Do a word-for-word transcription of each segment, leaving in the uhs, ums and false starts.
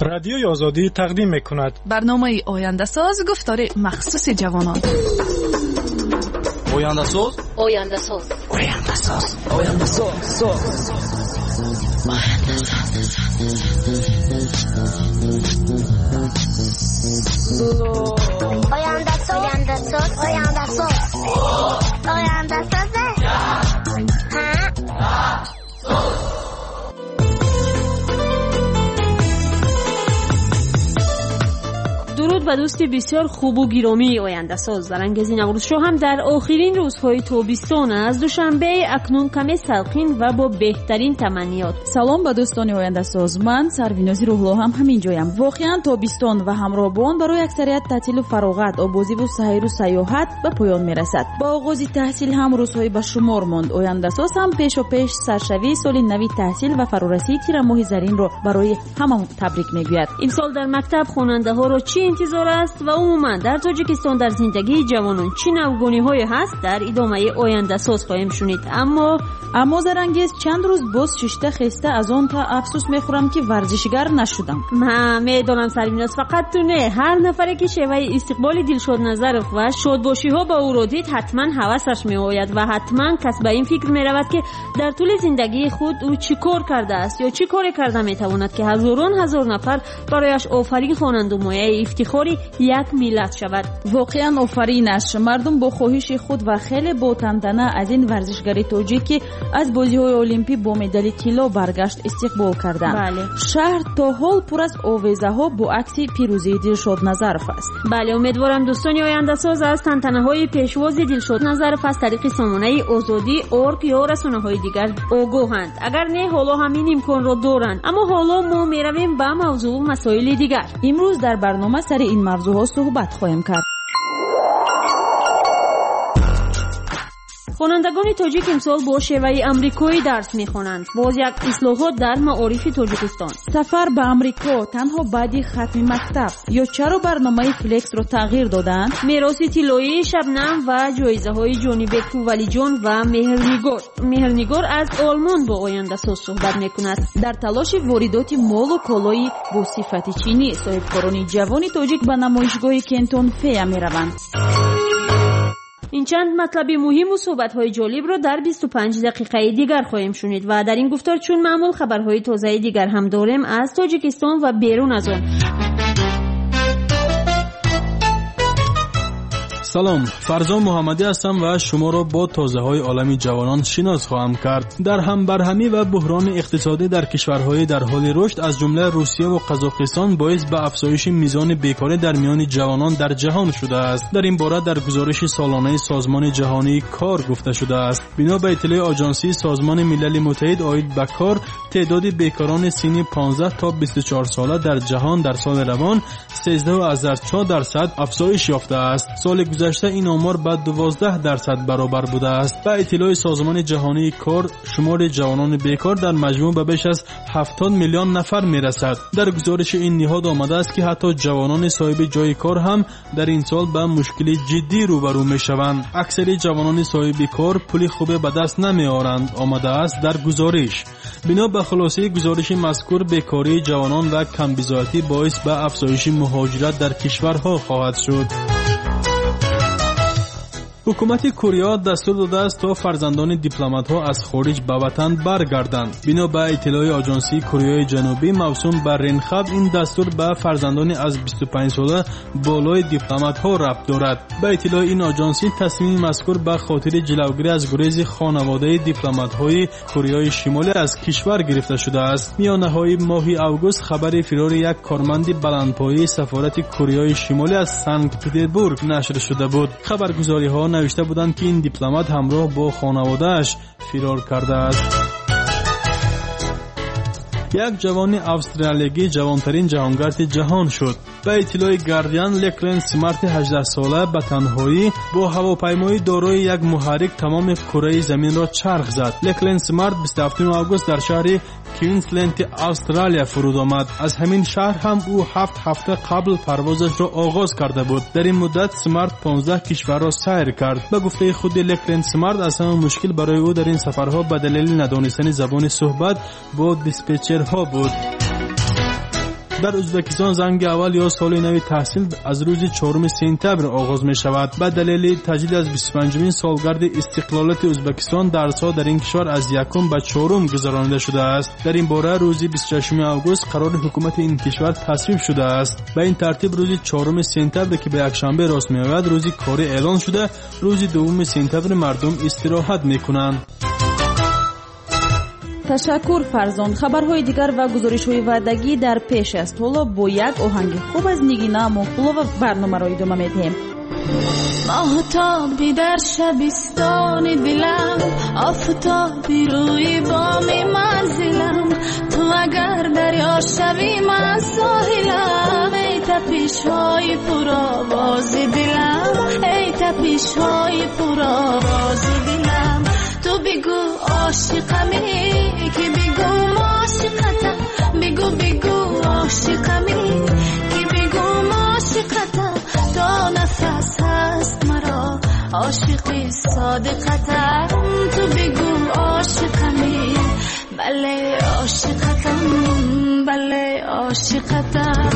Радиои Озодӣ тақдим мекунад барномаи Ояндасоз, гуфтори махсуси ҷавонон. Ояндасоз, Ояндасоз, Ояндасоз, Ояндасоз, соз. Ояндасоз, Ояндасоз, Ояндасоз, Ояндасоз. Дуруд ба дӯсти бисёр хубу гиромии Ояндасоз. Зарангези Наврӯзшоҳ ҳам дар охирин рӯзҳои тобистон аз Душанбе акнун каме салқин ва бо беҳтарин таманниёт. Салом ба дӯстони Ояндасоз. Ман Сарвинози Рӯҳло ҳам ҳамин ҷоям. Воқеан тобистон ва ҳамроҳ бо он барои аксарият таътилу фароғат, обозиву сайру сайёҳат ба поён мерасад. Ба оғози таҳсил ҳам рӯзҳои ба шумор монд. Ояндасоз ҳам пешопеш саршавии соли нави таҳсил ва фарорасии тирамоҳи заринро барои ҳама табрик мегӯяд. Имсол дар мактаб хонандаҳоро чӣ интизор аст ва умуман дар Тоҷикистон дар зиндагии ҷавонон чӣ навгониҳое ҳаст, дар идомаи Ояндасоз хоҳем шунид. Аммо аммо Зарангез, чанд рӯз боз шишта хеста аз он та афсӯс мехӯрам, ки варзишгар нашудам. Ма медонам, Сарвиноз, фақат ту не, ҳар нафаре ки шеваи истиқболи Дилшод Назаров ва шодбошиҳо ба ӯро дид, ҳатман ҳавасаш меояд ва ҳатман кас ба ин фикр меравад, ки дар тӯли зиндагии худ ӯ чӣ кор кардааст ё чӣ коре карда метавонад, ки ҳазорон ҳазор нафар барояш офарин хонанду мояи ифтихори як миллат шавад. Воқеан офаринаш. Мардум бо хоҳиши худ ва хеле бо тантана аз ин варзишгари тоҷик, ки аз бозиҳои олимпӣ бо медали тилло баргашт, истиқбол карданд. Бале. Шаҳр то ҳол пур аз овезаҳо бо акси пирӯзии Дилшод Назаров аст. Бале, умедворам дӯстони Ояндасоз аз тантанаҳои пешвози Дилшод Назаров аз тариқи сомонаи Озодӣ орг ё расонаҳои дигар огоҳанд. Агар не, ҳоло ҳамин имконро доранд. Аммо ҳоло мо меравем ба мавзӯъу масоили дигар. Имрӯз дар барнома сари ин мавзӯъҳо суҳбат хоҳем кард. Хонандагони тоҷик имсол бо шеваи амрикоӣ дарс мехонанд. Боз як ислоҳот дар маорифи Тоҷикистон. Сафар ба Амрико танҳо баъди хатми мактаб. Ё чаро барномаи флексро тағйир додаанд? Мероси тиллоии Шабнам ва ҷоизаҳои Ҷонибеку Валиҷон ва Меҳрнигор. Меҳрнигор аз Олмон бо Ояндасоз суҳбат мекунад. Дар талоши воридоти молу колои бо сифати чинӣ соҳибкорони ҷавони тоҷик ба намоишгоҳи Кентон Фея мераванд. Ин чанд матлаби муҳиму суҳбатҳои ҷолибро дар бисту панҷ дақиқаи дигар хоҳем шунид ва дар ин гуфтор чун маъмул хабарҳои тозаи дигар ҳам дорем аз Тоҷикистон ва берун аз он. Салом, Фарзон Муҳаммадӣ ҳастам ва шуморо бо тозаҳои олами ҷавонон шинос хоҳам кард. Дар ҳамбарҳамӣ ва буҳрони иқтисодӣ дар кишварҳои дар ҳоли рушд, аз ҷумла Русия ва Қазоқистон, боис ба афзоиши мизони бекорӣ дар миёни ҷавонон дар ҷаҳон шудааст. Дар ин бора дар гузориши солонаи Созмони ҷаҳонии кор гуфта шудааст. Бино ба иттилои Оҷонсии Созмони Милали Муттаҳид оид ба кор, теъдоди бекорони синни понздаҳ то бисту чор сола дар ҷаҳон дар соли равон сездаҳ аз чор дарсад афзоиш ёфтааст. Соли гузашта ин омор ба дувоздаҳ дарсад баробар будааст. Ба иттилои Созмони ҷаҳонии кор, шумори ҷавонони бекор дар маҷмӯъ ба беш аз ҳафтод миллион нафар мерасад. Дар гузориши ин ниҳод омадааст, ки ҳатто ҷавонони соҳиби ҷои кор ҳам дар ин сол ба мушкили ҷиддӣ рӯбарӯ мешаванд. Аксари ҷавонони соҳиби кор пули хубе ба даст намеоранд, омадааст дар гузориш. Бино ба хулосаи гузориши мазкур, бекории ҷавонон ва камбизоатӣ боис ба афзоиши муҳоҷират дар кишварҳо хоҳад шуд. Ҳукумати Корея дастур додааст, то фарзандони дипломатҳо аз хориҷ ба ватан баргарданд. Бино ба иттилои Оҷонсии Кореяи Ҷанубӣ, мавсум ба Ренхаб, ин дастур ба фарзандони аз бисту панҷ сола болои дипломатҳо рабт дорад. Ба иттилои ин оҷонсӣ, тасмими мазкур ба хотири ҷилавгирӣ аз гурези хонаводаи дипломатҳои Кореяи Шимолӣ аз кишвар гирифта шудааст. Миёнаҳои моҳи август хабари фирори як корманди баландпояи сафорати Кореяи Шимолӣ аз Санкт-Петербург нашр шуда буд. Хабаргузориҳо навишта буданд, ки ин дипломат ҳамроҳ бо хонаводааш фирор кардааст. Як ҷавони австралиягӣ ҷавонтарин ҷаҳонгарди ҷаҳон шуд. Ба иттилои Гардиан, Леклен Смарти ҳаждаҳсола ба танҳоӣ бо ҳавопаймои дорои як муҳаррик тамоми кураи заминро чарх зад. Леклен Смарт бисту ҳафтуми август дар шаҳри Квинсленди Австралия фуруд омад. Аз ҳамин шаҳр ҳам ӯ ҳафт ҳафта қабл парвозашро оғоз карда буд. Дар ин муддат Смарт понздаҳ кишварро сайр кард. Ба гуфтаи худи Леклен Смарт, аз ҳама мушкил барои ӯ дар ин сафарҳо ба далели надонистани забони суҳбат бо диспетчерҳо буд. Дар Ӯзбекистон занги аввал ё соли нави таҳсил аз рӯзи чоруми сентябр оғоз мешавад. Ба далели таҷлил аз бисту панҷумин солгарди истиқлолияти Ӯзбекистон дарсҳо дар ин кишвар аз якум ба чорум гузаронида шудааст. Дар ин бора рӯзи бисту шашуми август қарори ҳукумати ин кишвар тасвиб шудааст. Ба ин тартиб рӯзи чоруми сентябр ки ба якшанбе рост меояд, рӯзи корӣ эълон шуда, рӯзи дуввуми сентябр мардум истироҳат мекунанд. Ташаккур, Фарзон. Хабарҳои дигар ва гузоришҳои ваъдагӣ дар пеш аст. Ҳоло бо як оҳанги хуб аз Нигина Амонқулова барномаро идома медиҳем. Моҳтоби дар шабистони дилам, офтоби рӯи боми манзилам, ту агар дарё шавӣ ман соҳилам, эй тапишҳои пуровози дилам, эй тапишҳои пуровози дилам. Ту бигӯ ошиқами ки бигӯ ошиқатам, бигӯ бигӯ ошиқами ки бигӯ ошиқатам, то нафас ҳаст маро ошиқи содиқатам. Ту бигӯ ошиқами, бале ошиқатам, бале ошиқатам.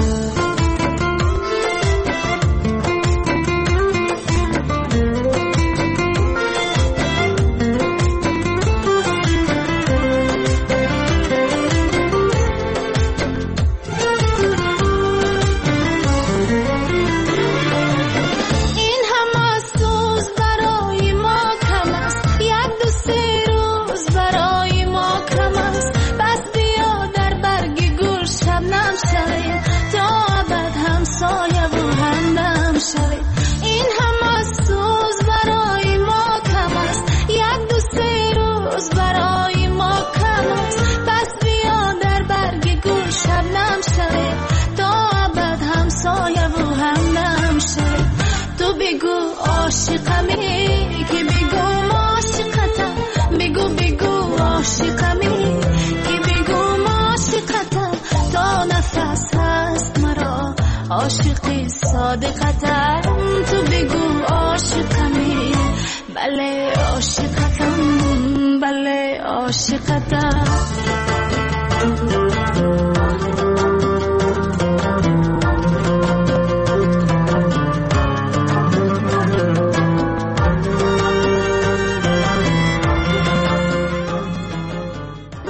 Ошиқами ки бигӯ ошиқатам, бигӯ бигӯ ошиқами ки бигӯ ошиқатам, то нафас ҳаст маро ошиқи содиқатам. Ту бигӯ ошиқами, бале ошиқатам, бале ошиқатам.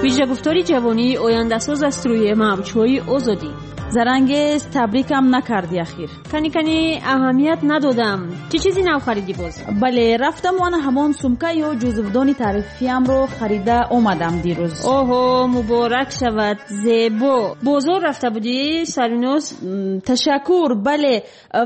Вижагуфтори ҷавонии ояндасоз аз рӯи мавҷҳои озодӣ. Зарангез, табрикам накарди ахир. Кани кани аҳамият надодам. Чӣ чизи нав харидӣ боз? Бале, рафтам ана ҳамон сумка ё ҷузвдони таърифиамро харида омадам дирӯз. Оҳо, муборак шавад, зебо. Бозор рафта будӣ, Сарвиноз? Ташаккур, бале,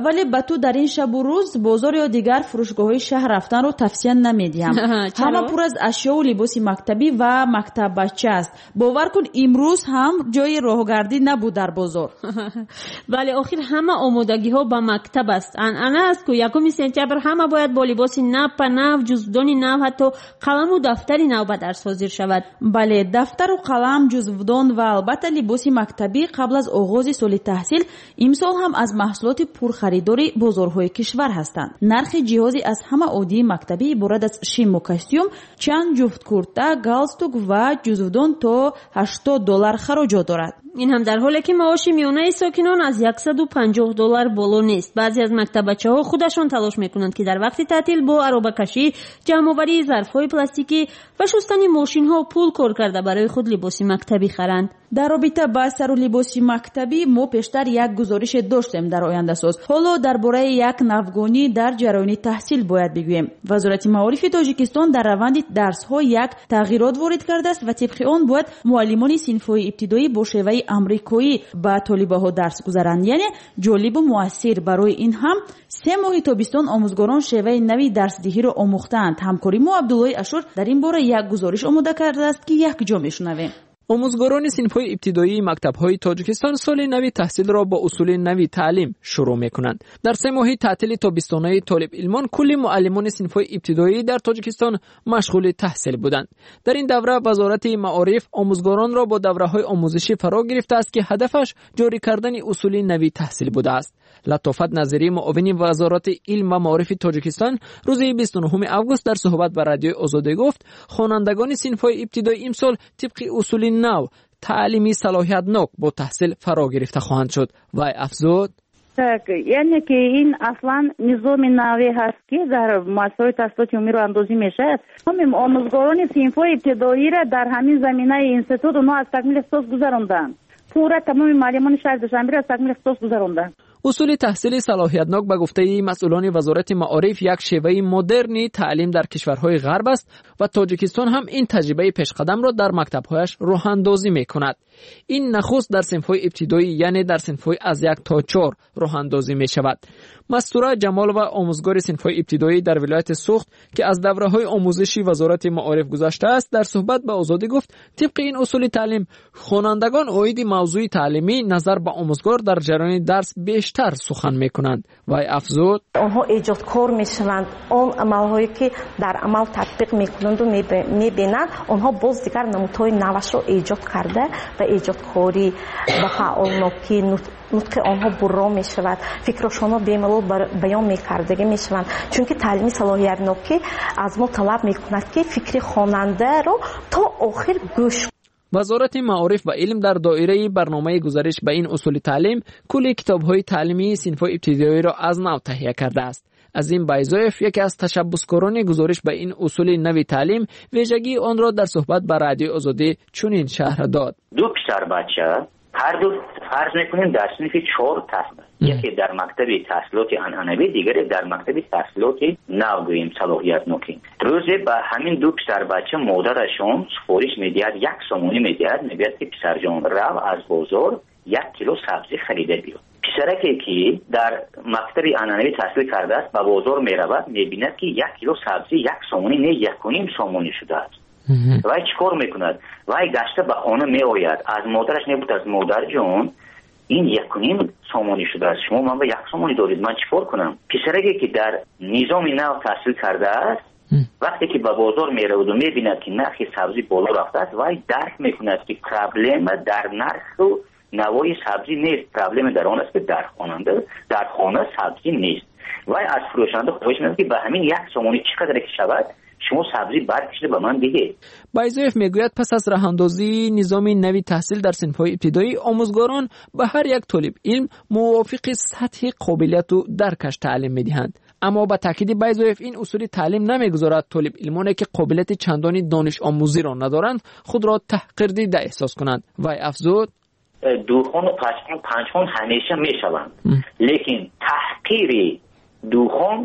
вале ба ту дар ин шабу рӯз бозор ё дигар фурӯшгоҳҳои шаҳр рафтанро тавсия намедиҳам. Ҳама пур аз ашёу либоси мактабӣ ва мактаббача аст. Бовар кун, имрӯз ҳам ҷои роҳгардӣ набуд дар бозор. Бале, охир ҳама омодагиҳо ба мактаб аст. Анъана аст, ку якуми сентябр ҳама бояд бо либоси нав па нав, ҷузвдони нав, ҳатто қаламу дафтари нав ба дарс ҳозир шавад. Бале, дафтару қалам, ҷузвдон ва албатта либоси мактабӣ қабл аз оғози соли таҳсил имсол ҳам аз маҳсулоти пурхаридори бозорҳои кишвар ҳастанд. Нархи ҷиҳози аз ҳама оддии мактабӣ иборат аз шиму костюм, чанд ҷуфт курта, галстук ва ҷузвдон то ҳаштод доллар хароҷот дорад. Ин ҳам дар ҳоле ки маоши миёнаи сокинон аз яксаду панҷоҳ доллар боло нест. Баъзе аз мактаббачаҳо худашон талош мекунанд, ки дар вақти таътил бо аробакашӣ, ҷамъоварии зарфҳои пластикӣ ва шустани мошинҳо пул кор карда барои худ либоси мактабӣ харанд. Дар робита ба сару либоси мактабӣ мо пештар як гузорише доштем дар ояндасоз. Ҳоло дар бораи як навгонӣ дар ҷараёни таҳсил бояд бигӯем. Вазорати маорифи Тоҷикистон дар раванди дарсҳо як тағйирот ворид кардааст ва тибқи он бояд муаллимони синфҳои ибтидоӣ бо шеваи амрикоӣ ба толибаҳо дарс гузаранд, яъне ҷолибу муассир. Барои ин ҳам се моҳи тобистон омӯзгорон шеваи нави дарсдиҳиро омӯхтаанд. Ҳамкори мо Абдуллои Ашур дар ин бора як гузориш омода кардааст, ки якҷо мешунавем. Омӯзгорони синфҳои ибтидоии мактабҳои Тоҷикистон соли нави таҳсилро бо усули нави таълим шурӯъ мекунанд. Дар се моҳи таътили тобистонаи толибилмон кулли муаллимони синфҳои ибтидоӣ дар Тоҷикистон машғули таҳсил буданд. Дар ин давра Вазорати маориф омӯзгоронро бо давраҳои омӯзишӣ фаро гирифтааст, ки ҳадафаш ҷорӣ кардани усули нави таҳсил будааст. Латофат Назирӣ, муовини Вазорати илм ва маорифи Тоҷикистон, рӯзи бисту нуҳуми август дар суҳбат ба Радиои Озодӣ гуфт, хонандагони синфҳои ибтидоӣ имсол тибқи усули нав таълими салоҳиятнок бо таҳсил фаро гирифта хоҳанд шуд. Вай афзуд: яъне ки ин аслан низоми наве ҳаст, ки дар муассисаҳои таҳсилоти умумиро андозӣ мешавад. Омӯзгорони синфҳои ибтидоиро дар ҳамин заминаи институт онҳо аз такмили ихтисос гузаронданд. Пурра тамоми муаллимони шаҳри Душанберо аз такмили ихтисос гузаронданд. Усули таҳсили салоҳиятнок ба гуфтаи масъулони вазорати маориф як шеваи модерни таълим дар кишварҳои ғарб аст ва Тоҷикистон ҳам ин таҷрибаи пешқадамро дар мактабҳояш роҳандозӣ мекунад. Ин нахуст дар синфҳои ибтидоӣ, яъне дар синфҳои аз як то чор роҳандозӣ мешавад. Мастура Ҷамолова, омӯзгори синфҳои ибтидоӣ дар вилояти Суғд, ки аз давраҳои омӯзиши вазорати маориф гузаштааст, дар суҳбат ба Озодӣ гуфт, тибқи ин усули таълим хонандагон оиди мавзӯи таълимӣ назар ба омӯзгор дар ҷараёни дарс бештар сухан мекунанд. Вай афзуд: онҳо эҷодкор мешаванд. Он амалҳое ки дар амал татбиқ мекунанду мебинанд, онҳо боз дигар намудҳои навашро эҷод карда ба эҷодкорӣ, ба фаъолнокӣ, нутқи онҳо бурро мешавад, фикрҳошонро бемалол баён мекардагӣ мешаванд. Чунки таълими салоҳиятнокӣ аз мо талаб мекунад, ки фикри хонандаро то охир гӯш. Вазорати маориф ва илм дар доираи барномаи гузариш ба ин усули таълим кулли китобҳои таълимии синфҳои ибтидоиро аз нав таҳия кардааст. Азим Байзоев, яке аз ташаббускорони гузориш ба ин усули нави таълим, вижагии онро дар суҳбат ба Радиои Озодӣ чунин шарҳ дод: ду писарбача ҳар ду фарз мекунем дар синфи чор таҳсил, яке дар мактаби таҳсилоти анъанавӣ, дигаре дар мактаби таҳсилоти нав, гӯем салоҳиятнокӣ. Рӯзе ба ҳамин ду писарбача модарашон супориш медиҳад, як сомонӣ медиҳад, мегӯяд ки писарҷон, рав аз бозор як кило сабзӣ харида биё. Писараке ки дар мактаби анъанавӣ таҳсил кардааст, ба бозор меравад, мебинад ки як кило сабзӣ як сомонӣ не, якуним сомонӣ шудааст. Вай чӣ кор мекунад? Вай гашта ба хона меояд, аз модараш мепурсад: модарҷон, ин якуним сомонӣ шудааст, шумо ман ба як сомонӣ доред, ман чӣ кор кунам? Писараке ки дар низоми нав таҳсил кардааст, вақте ки ба бозор мераваду мебинад ки нархи сабзӣ боло рафтааст, вай дарк мекунад ки проблема дар нарху навои сабзӣ нест, проблема дар он аст ки дар хонанда дар хона сабзӣ нест. Вай аз фурӯшанда хоҳиш мекунад ки ба ҳамин як сомонӣ чӣ қадре ки шавад, шумо сабзӣ баркашида ба ман диҳед. Байзоев мегӯяд, пас аз роҳандозии низоми нави таҳсил дар синфҳои ибтидоӣ, омӯзгорон ба ҳар як толиб илм мувофиқи сатҳи қобилияту даркаш таълим медиҳанд. Аммо ба таъкиди Байзоев, ин усули таълим намегузорад толиб илмоне ки қобилияти чандони донишомӯзиро надоранд, худро таҳқирдида эҳсос кунанд. Вай афзуд: духон ва панҷхон панҷхон ҳамеша мешаванд, лекин таҳқири духон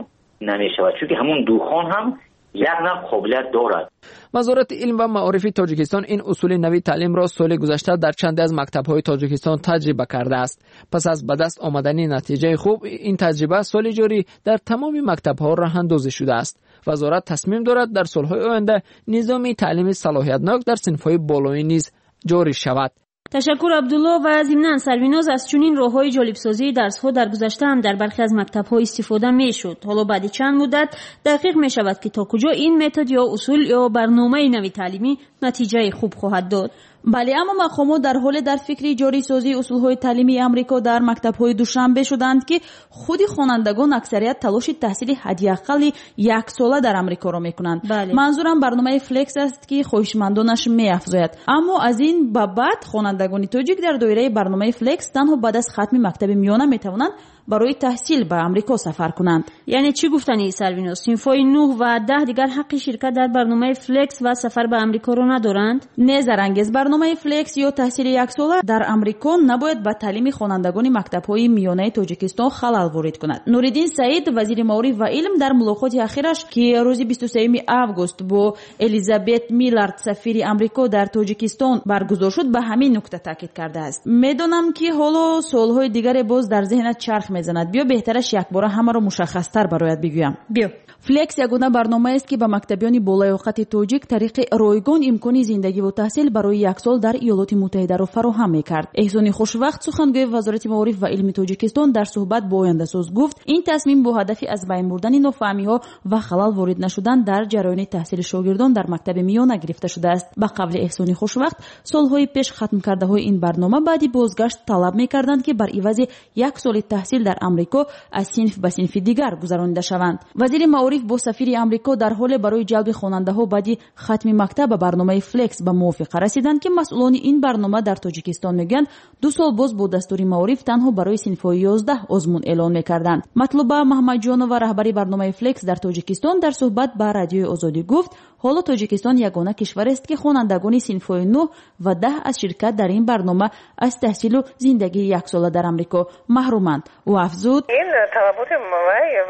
намешавад, чунки ҳамун духон ҳам як нав қобилият дорад. Вазорати илм ва маорифи Тоҷикистон ин усули нави таълимро соли гузашта дар чанде аз мактабҳои Тоҷикистон таҷриба кардааст. Пас аз ба даст омадани натиҷаи хуб, ин таҷриба соли ҷорӣ дар тамоми мактабҳо роҳандозӣ шудааст. Вазорат тасмим дорад дар солҳои оянда низоми таълими салоҳиятнок дар синфҳои болоӣ низ ҷорӣ шавад. Ташаккур, Абдулло. Ва зимнан Сарвиноз, аз чунин роҳҳои ҷолибсозии дарсҳо дар гузашта ҳам дар бархе аз мактабҳо истифода мешуд. Ҳоло баъди чанд муддат дақиқ мешавад, ки то куҷо ин метод ё усул ё барномаи нави таълимӣ натиҷаи хуб хоҳад дод. Бале, аммо мақомот дар ҳоле дар фикри ҷорисозии усулҳои таълимии Амрико дар мактабҳои Душанбе шуданд, ки худи хонандагон аксарият талоши таҳсили ҳадди аққали яксола дар Амрикоро мекунанд. Манзурам барномаи Флекс аст, ки хоҳишмандонаш меафзояд. Аммо аз ин ба баъд хонандагони тоҷик дар доираи барномаи Флекс танҳо баъд аз хатми мактаби миёна метавонанд барои таҳсил ба Амрико сафар кунанд. Яъне чӣ гуфтани, Сарвиноз? Синфҳои нӯҳ ва даҳ дигар ҳаққи ширкат дар барномаи Флекс ва сафар ба Амрикоро надоранд? Не, Зарангез, барномаи Флекс ё таҳсили яксола дар Амрико набояд ба таълими хонандагони мактабҳои миёнаи Тоҷикистон халал ворид кунад. Нуриддин Саид, вазири маориф ва илм, дар мулоқоти ахираш, ки рӯзи бисту сеюми август бо Элизабет Миллард, сафири Амрико дар Тоҷикистон баргузор шуд, ба ҳамин нукта таъкид кардааст. Медонам, ки ҳоло суолҳои дигаре боз дар зеҳнат чарх мезанад. Биё беҳтараш якбора ҳамаро мушаххастар барояд бигӯям. Биё. Флекс ягона барномаест, ки ба мактабиёни болаёқати тоҷик тариқи ройгон имкони зиндагиву таҳсил барои як сол дар Иёлоти Муттаҳидаро фароҳам мекард. Эҳсони Хушвақт, сухангӯи Вазорати маориф ва илми Тоҷикистон, дар суҳбат бо Ояндасоз гуфт, ин тасмим бо ҳадафи аз байн бурдани нофаҳмиҳо ва халал ворид нашудан дар ҷараёни таҳсили шогирдон дар мактаби миёна гирифта шудааст. Ба қавли Эҳсони Хушвақт, солҳои пеш хатмкардаҳои ин барнома баъди бозгашт талаб мекарданд, ки бар ивази як соли таҳсил дар Амрико аз синф ба синфи дигар гузаронида шаванд. Вазири маориф бо сафири Амрико дар ҳоле барои ҷалби хонандаҳо баъди хатми мактаб ба барномаи Флекс ба мувофиқа расиданд, ки масъулони ин барнома дар Тоҷикистон мегӯянд, ду сол боз бо дастури маориф танҳо барои синфҳои ёздаҳ озмун эълон мекарданд. Матлуба Маҳмадҷонова, раҳбари барномаи Флекс дар Тоҷикистон, дар суҳбат ба Радиои Озодӣ гуфт, ҳоло Тоҷикистон ягона кишварест, ки хонандагони синфҳои нӯҳ ва даҳ аз ширкат дар ин барнома аз таҳсилу зиндагии яксола дар Амрико маҳруманд. Ӯ афзуд: ин талаботи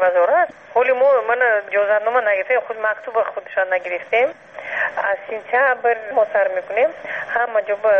вазорат, ҳоли мо мана иҷозатнома нагирифтем, худ мактуба худшон нагирифтем. Аз сентябр мо сар мекунем, ҳама ҷо ба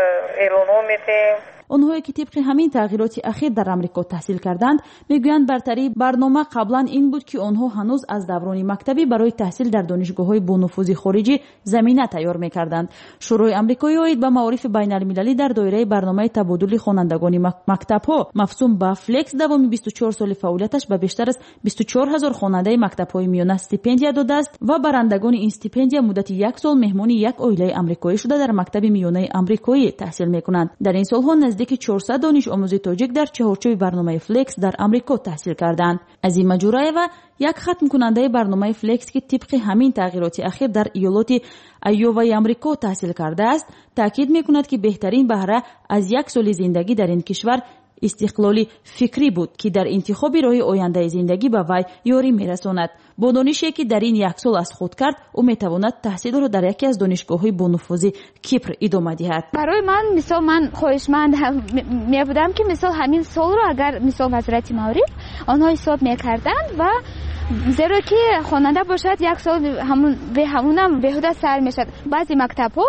эълонҳо метем. Онҳое ки тибқи ҳамин тағйироти ахир дар Амрико таҳсил карданд, мегӯянд бартарии барнома қаблан ин буд, ки онҳо ҳанӯз аз даврони мактабӣ барои таҳсил дар донишгоҳҳои бонуфузи хориҷӣ замина тайёр мекарданд. Шӯрои амрикоӣ оид ба маорифи байналмилалӣ дар доираи барномаи табодули хонандагони мактабҳо мавсум ба Флекс давоми бисту чор соли фаъолияташ ба бештар аз бисту чор ҳазор хонандаи мактабҳои миёна стипендия додааст ва барандагони ин стипендия муддати як сол меҳмони як оилаи амрикоӣ шуда дар мактаби миёнаи амрикоӣ таҳсил мекунанд. Дар ин солҳо наздики чорсад донишомӯзи тоҷик дар чаҳорчӯби барномаи Флекс дар Амрико таҳсил карданд. Азима Ҷураева, як хатмкунандаи барномаи Флекс, ки тибқи ҳамин тағйироти ахир дар иёлоти Айоваи Амрико таҳсил кардааст, таъкид мекунад, ки беҳтарин баҳра аз як соли зиндагӣ дар ин кишвар истиқлоли фикрӣ буд, ки дар интихоби роҳи ояндаи зиндагӣ ба вай ёрӣ мерасонад. Бо донише, ки дар ин як сол аз худ кард, ӯ метавонад таҳсилро дар яке аз донишгоҳҳои бонуфузи Кипр идома диҳад. Барои ман, мисол, ман хоҳишманд мебудам, ки мисол ҳамин солро агар мисол вазорати маориф онҳо ҳисоб мекарданд, ва зеро ки хонанда бошад як сол ҳамунам беҳуда сар мешавад. Баъзе мактабҳо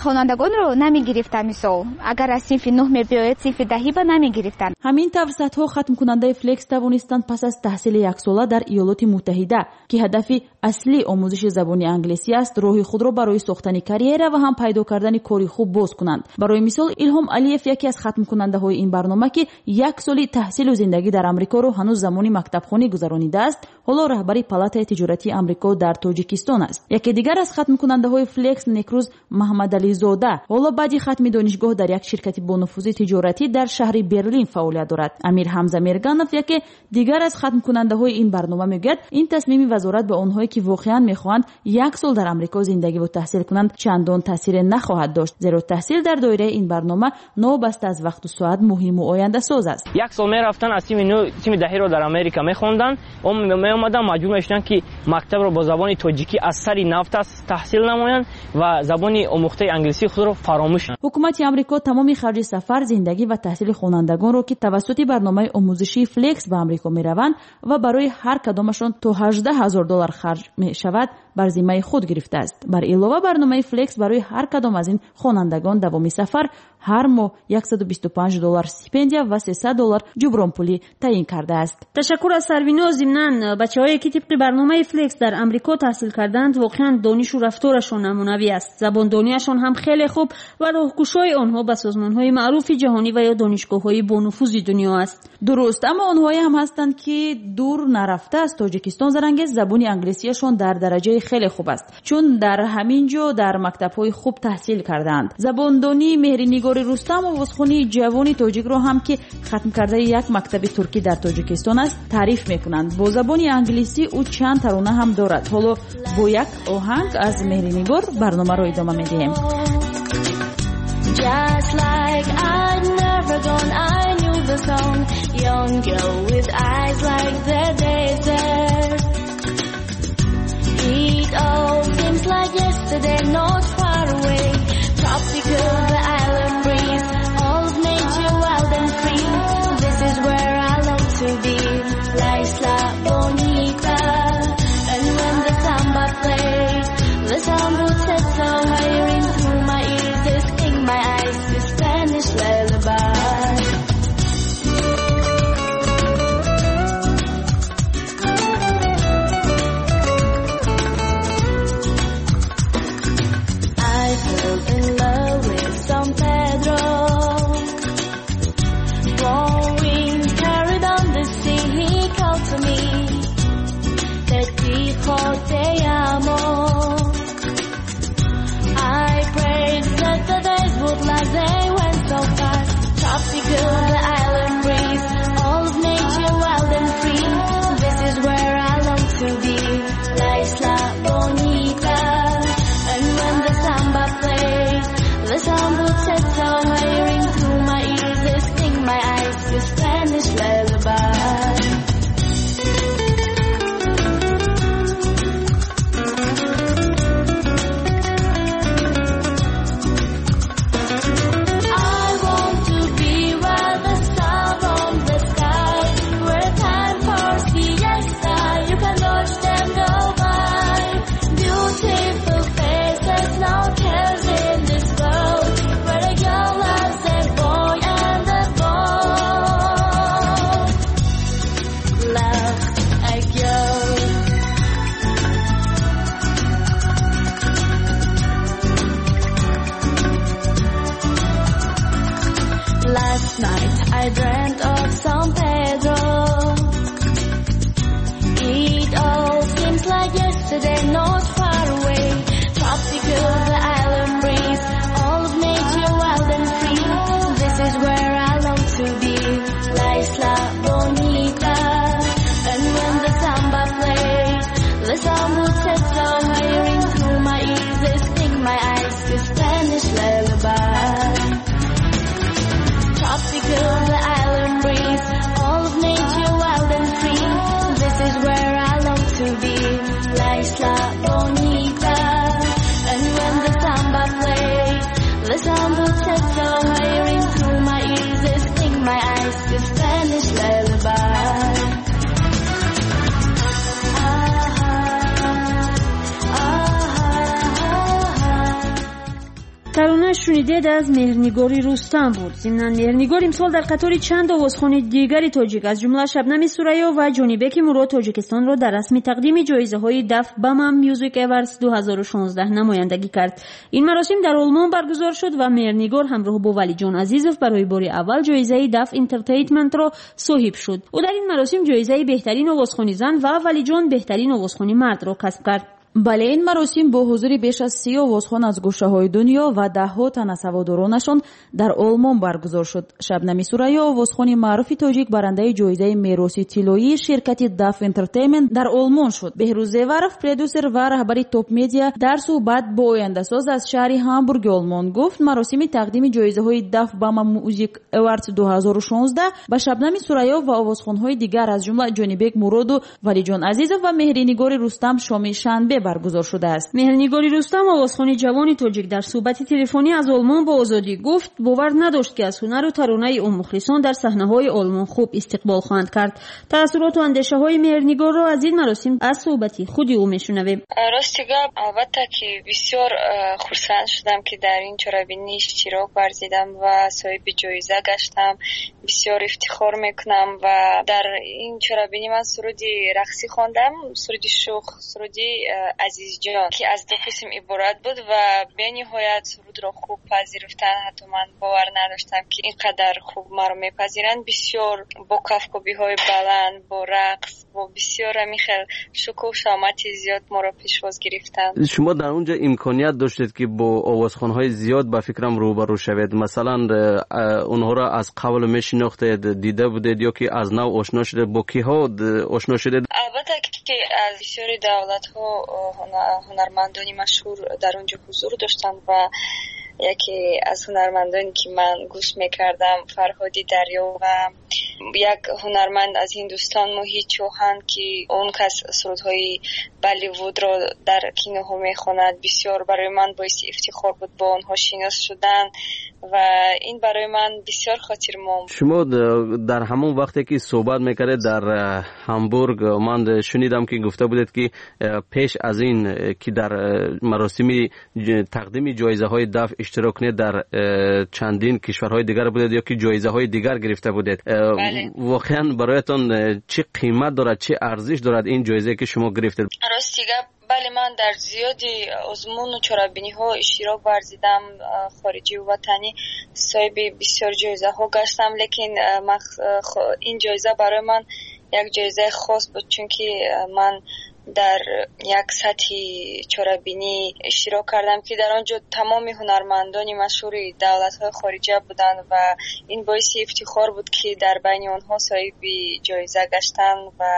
хонандагонро намегирифтанд, мисол агар аз синфи нӯҳ мебиёяд, синфи даҳиба намегирифтанд. Ҳамин тавр садҳо хатмкунандаи Флекс тавонистанд пас аз таҳсили яксола дар Иёлоти Муттаҳида, ки ҳадафи аслӣ омӯзиши забони англисӣ аст, роҳи худро барои сохтани карьера ва ҳам пайдо кардани кори хуб боз кунанд. Барои мисол, Илҳом Алиев, яке аз хатмкунандаҳои ин барнома, ки як соли таҳсилу зиндагӣ дар Амрикоро ҳанӯз замони мактабхонӣ гузаронидааст, ҳоло раҳбари палатаи тиҷоратии Амрико дар Тоҷикистон аст. Яке дигар аз хатмкунандаҳои Флекс, Некрӯз Маҳмадализода, ҳоло баъди хатми донишгоҳ дар як ширкати бонуфузи тиҷоратӣ дар шаҳри Берлин фаъолият дорад. Амир Ҳамза Мерганов, яке дигар аз хатмкунандаҳои ин барнома, мегӯяд ин тасмими вазорат ба онҳое, ки воқеан мехоҳанд як сол дар Амрико зиндагиву таҳсил кунанд, чандон таъсире нахоҳад дошт, зеро таҳсил дар доираи ин барнома новобаста аз вақту соат муҳиму ояндасоз аст. Як сол мерафтанд, аз синфи нӯҳ, синфи даҳиро дар Америка мехонданд, меомаданд, маҷбур мешуданд, ки мактабро бо забони тоҷикӣ аз сари нав таҳсил намоянд ва забони омӯхтаи англисии худро фаромӯш. Ҳукумати Амрико тамоми харҷи сафар, зиндагӣ ва таҳсили хонандагонро, ки тавассути барномаи омӯзишии Флекс ба Амрико мераванд ва барои ҳар кадомашон то ҳаждаҳ ҳазор доллар харҷ мешавад, бар зиммаи худ гирифтааст. Бар илова, барномаи Флекс барои ҳар кадом аз ин хонандагон давоми сафар ҳар моҳ яксаду бисту панҷ доллар стипендия ва сесад доллар ҷубронпулӣ таъин кардааст. Ташаккур аз Сарвиноз. Зимнан, бачаҳое ки тибқи барномаи Флекс дар Амрико таҳсил карданд, воқеан донишу рафторашон намунавӣ аст. Забондониашон ҳам хеле хуб ва роҳкушои онҳо ба созмонҳои маъруфи ҷаҳонӣ ва ё донишгоҳҳои бонуфузи дунё аст. Дуруст, аммо онҳое ҳам ҳастанд, ки дур нарафта аз Тоҷикистон зарангез забони англисияшон дар дараҷаи хеле хуб аст, чун дар ҳамин ҷо дар мактабҳои хуб таҳсил кардаанд. Забондонии Меҳринигори Рустам, овозхонии ҷавони тоҷикро ҳам, ки хатмкардаи як мактаби туркӣ дар Тоҷикистон аст, таъриф мекунанд. Бо забони англисӣ ӯ чанд тарона ҳам дорад. Ҳоло бо як оҳанг аз Меҳринигор барномаро идома медиҳем. Just like I'd never gone, I knew the song. Young girl with eyes like the desert. It all seems like yesterday, not far away. Tropical, the island breeze, all of nature wild and free. This is where I long to be. La Isla Bonita. And when the samba plays, the sound would set so high into my ears, this in my eyes, this Spanish lullaby. La Isla Bonita. And when the samba plays, the sound will set so high into my ears, it sting my eyes, the Spanish lullaby. Тарона шунидед аз Меҳрнигори Рустам буд. Зимнан Меҳрнигор имсол дар қатори чанд овозхони дигари тоҷик аз ҷумла Шабнами Сурайё ва Ҷонибеки Мурод Тоҷикистонро дар расми тақдими ҷоизаҳои Daf Bama Music Awards ду ҳазору шонздаҳ намояндагӣ кард. Ин маросим дар Олмон баргузор шуд ва Меҳрнигор ҳамроҳ бо Валиҷон Азизов барои бори аввал ҷоизаи Daf Entertainment-ро соҳиб шуд. Ӯ дар ин маросим ҷоизаи беҳтарин овозхони зан ва Валиҷон беҳтарин овозхони мардро касб кард. Бале, ин маросим бо ҳузури беш аз си овозхон аз гӯшаҳои дунё ва даҳҳо тан аз ҳаводоронашон дар Олмон баргузор шуд. Шабнами Сурайё, овозхони маъруфи тоҷик, барандаи ҷоизаи мероси тиллоии ширкати Daf Entertainment дар Олмон шуд. Беҳрӯз Зеваров, продюсер ва раҳбари Топ Медиа, дар суҳбат бо ояндасоз аз шаҳри Ҳамбурги Олмон гуфт, маросими тақдими ҷоизаҳои Daf Bama Music Awards ду ҳазору шонздаҳ ба Шабнами Сурайё ва овозхонҳои дигар аз ҷумла Ҷонибек Муроду, Валиҷон Азизов ва Меҳринигори Рустам шоми шанбе баргузор шудааст. Меҳрнигори Рустам, овозхони ҷавони тоҷик, дар суҳбати телефонӣ аз Олмон бо Озодӣ гуфт, бовар надошт, ки аз ҳунару таронаи ӯ мухлисон дар саҳнаҳои Олмон хуб истиқбол хоҳанд кард. Таассуроту андешаҳои Меҳрнигорро аз ин маросим аз суҳбати худи ӯ мешунавем. Рости гап, албатта ки бисёр хурсанд шудам, ки дар ин чорабинӣ иштирок варзидам ва соҳиби ҷоиза гаштам. Бисёр ифтихор мекунам ва дар ин чорабинӣ ман суруди рақсӣ хондам, суруди шух, суруди Азизҷон, ки аз ду қисм иборат буд ва бениҳоят сурудро хуб пазируфтанд. Ҳатто ман бовар надоштам, ки ин қадар хуб маро мепазиранд. Бисёр бо кафкӯбиҳои баланд, бо рақс, бо бисёр ҳамин хел шукӯҳ шамати зиёд моро пешвоз гирифтанд. Шумо дар онҷо имконият доштед, ки бо овозхонҳои зиёд ба фикрам рӯбарӯ шавед. Масалан, онҳоро аз қабл мешинохтед, дида будед ё ки аз нав ошно шудед? Бо киҳо ошно шудед? Албатта ки аз бисёри давлатҳо ҳунармандони машҳур дар он ҷо ҳузур доштанд ва яке аз ҳунармандоне ки ман гӯш мекардам Фарҳоди Дарё ва як ҳунарманд аз Ҳиндустон Моҳид Чоҳан, ки он кас сурудҳои Болливудро дар киноҳо мехонад. Бисёр барои ман боиси ифтихор буд бо онҳо шинос шудан ва ин барои ман бисёр хотирмон. Шумо дар ҳамон вақте ки суҳбат мекардед дар Ҳамбург, ман шунидам ки гуфта будед, ки пеш аз ин ки дар маросими тақдими ҷоизаҳои Даф иштирок кунед, дар чандин кишварҳои дигар будед ё ки ҷоизаҳои дигар гирифта будед. Воқеан бароятон чӣ қимат дорад, чӣ арзиш дорад ин ҷоизае ки шумо гирифтед? Рости гап, бале, ман дар зиёди озмуну чорабиниҳо иштирок варзидам, хориҷиву ватанӣ, соҳиби бисёр ҷоизаҳо гаштам, лекин ин ҷоиза барои ман як ҷоизаи хос буд, чунки ман дар як сатҳи чорабинӣ иштирок кардам, ки дар он ҷо тамоми ҳунармандони машҳури давлатҳои хориҷа буданд ва ин боиси ифтихор буд, ки дар байни онҳо соҳиби ҷоиза гаштан ва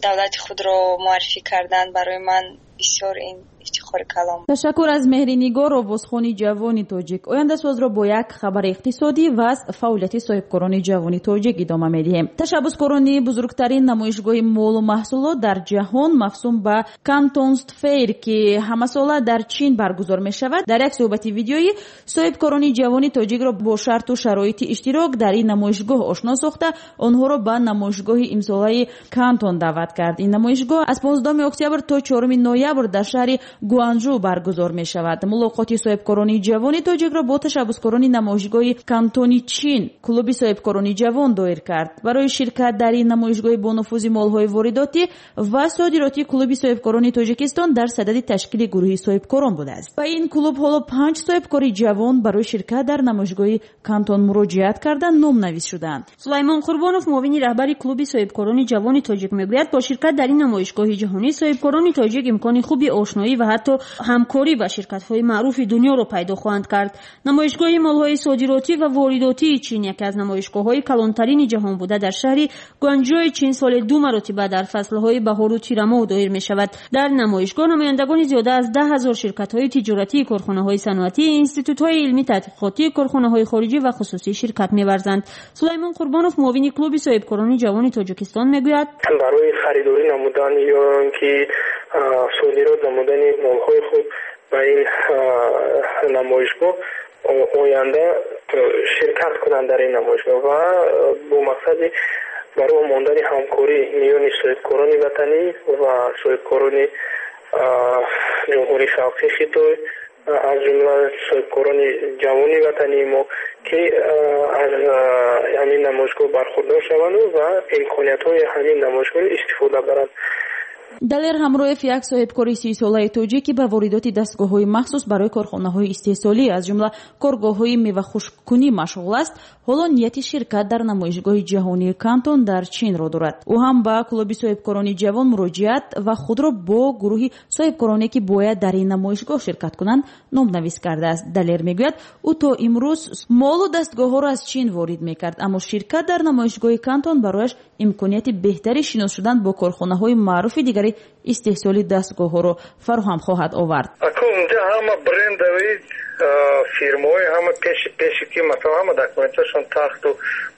давлати худро муаррифӣ кардан. Барои ман бисёр ин ифтихори калом. Ташаккур аз Меҳринигор, овозхони ҷавони тоҷик. Ояндасозро бо як хабари иқтисодӣ ва аз фаъолияти соҳибкорони ҷавони тоҷик идома медиҳем. Ташаббускорони бузургтарин намоишгоҳи молу маҳсулот дар ҷаҳон мавсум ба Кантонст Фейр, ки ҳамасола дар Чин баргузор мешавад, дар як суҳбати видеоӣ соҳибкорони ҷавони тоҷикро бо шарту шароити иштирок дар ин намоишгоҳ ошно сохта, онҳоро ба намоишгоҳи имсолаи Кантон даъват кард. Ин намоишгоҳ аз понздаҳуми октябр то чоруми ноябр дар шаҳри Гуанжу баргузор мешавад. Мулоқоти соҳибкорони ҷавони тоҷикро бо ташаббускорони намоишгоҳи Кантони Чин клуби соҳибкорони ҷавон доир кард. Барои ширкат дар ин намоишгоҳи бонуфузи молҳои воридотӣ ва содиротӣ клуби соҳибкорони Тоҷикистон дар садади ташкили гурӯҳи соҳибкорон будааст. Ба ин клуб ҳоло панҷ соҳибкори ҷавон барои ширкат дар намоишгоҳи Кантон муроҷиат карда номнавис шуданд. Сулаймон Қурбонов, муовини раҳбари клуби соҳибкорони ҷавони тоҷик, мегӯяд бо ширкат дар ин намоишгоҳи ҷаҳонӣ соҳибкорони тоҷик имкони хуби ошноӣ ва ҳатто ҳатто ҳамкорӣ ба ширкатҳои маъруфи дунёро пайдо хоҳанд кард. Намоишгоҳи молҳои содиротӣ ва воридотии Чин яке аз намоишгоҳҳои калонтарини ҷаҳон буда, дар шаҳри Гуанчжои Чин соли ду маротиба дар фаслҳои баҳору тирамоҳ доир мешавад. Дар намоишгоҳ намояндагони зиёда аз даҳ ҳазор ширкатҳои тиҷоратӣ, корхонаҳои саноатӣ, институтҳои илмӣ таҳқиқотӣ, корхонаҳои хориҷӣ ва хусусӣ ширкат меварзанд. Сулаймон Қурбонов, муовини клуби соҳибкорони ҷавони Тоҷикистон, мегӯяд: барои харидорӣ намудан ё инки содирот намудани молҳои худ ба ин намоишгоҳ оянда ширкат кунанд дар ин намоишгоҳ ва бо мақсади барои мондани ҳамкорӣ миёни соҳибкорони ватанӣ ва соҳибкорони ҷумҳурии халқии Хитой, аз ҷумла соҳибкорони ҷавони ватании мо, ки аз ҳамин намоишгоҳ бархурдор шаванд ва имкониятҳои ҳамин намоишгоҳро истифода баранд. Далер Ҳамроев, як соҳибкори сисолаи тоҷик, ки ба воридоти дастгоҳҳои махсус барои корхонаҳои истеҳсолӣ, аз ҷумла коргоҳҳои мевахушккунӣ машғул аст, ҳоло нияти ширкат дар намоишгоҳи ҷаҳонии Кантон дар Чинро дорад. Ӯ ҳам ба клуби соҳибкорони ҷавон муроҷиат ва худро бо гурӯҳи соҳибкороне, ки бояд дар ин намоишгоҳ ширкат кунанд, номнавис кардааст. Далер мегӯяд, ӯ то имрӯз молу дастгоҳҳоро аз Чин ворид мекард, аммо ширкат дар намоишгоҳи Кантон барояш имконияти беҳтари шинос шудан бо корхонаҳои маъруфи дигари истеҳсоли дастгоҳҳоро фароҳам хоҳад овард. Унҷа ҳама брендови фирмаҳои ҳама пеши пеши ки масалан ҳама документашон тахту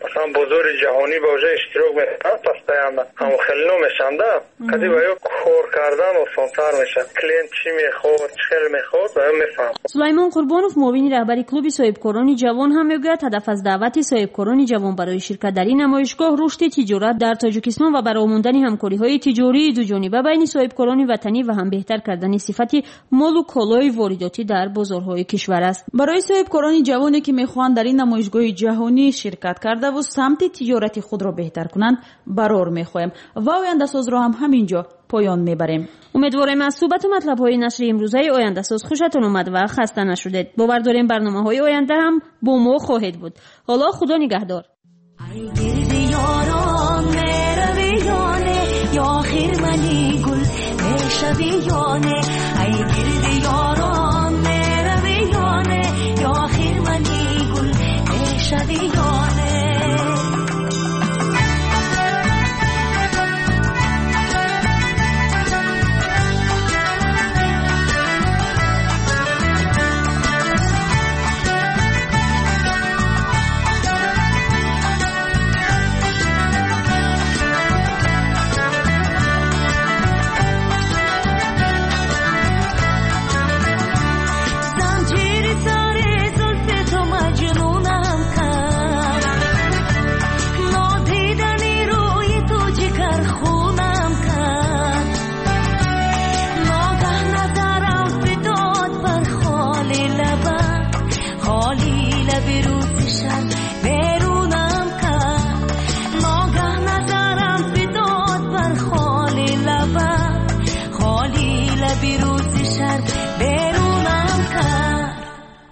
масалан бозори ҷаҳонӣ ба уже иштирок мекунанд постоянно, ҳам хеле мешанда, кади ба ё кор кардан осонтар мешавад. Клиент чӣ мехоҳад, чӣ хел мехоҳад, ба ё мефаҳмад. Сулаймон Қурбонов, муовини раҳбари клуби соҳибкорони ҷавон, ҳам мегӯяд, ҳадаф аз даъвати соҳибкорони ҷавон барои ширкат дар ин намоишгоҳ рушди тиҷорат дар Тоҷикистон ва барои мондани ҳамкориҳои тиҷории дуҷониба байни соҳибкорони ватанӣ ва ҳам беҳтар кардани сифати молу колои воридотӣ дар бозорҳои кишвар аст. Барои соҳибкорони ҷавоне, ки мехоҳанд дар ин намоишгоҳи ҷаҳонӣ ширкат кардаву самти тиҷорати худро беҳтар кунанд, барор мехоҳем ва ояндасозро ҳам ҳамин ҷо поён мебарем. Умедворем аз суҳбату матлабҳои нашри имрӯзаи ояндасоз хушатон омад ва хаста нашудед. Бовар дорем барномаҳои оянда ҳам бо мо хоҳед буд. Ҳоло Худо нигаҳдор.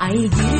ای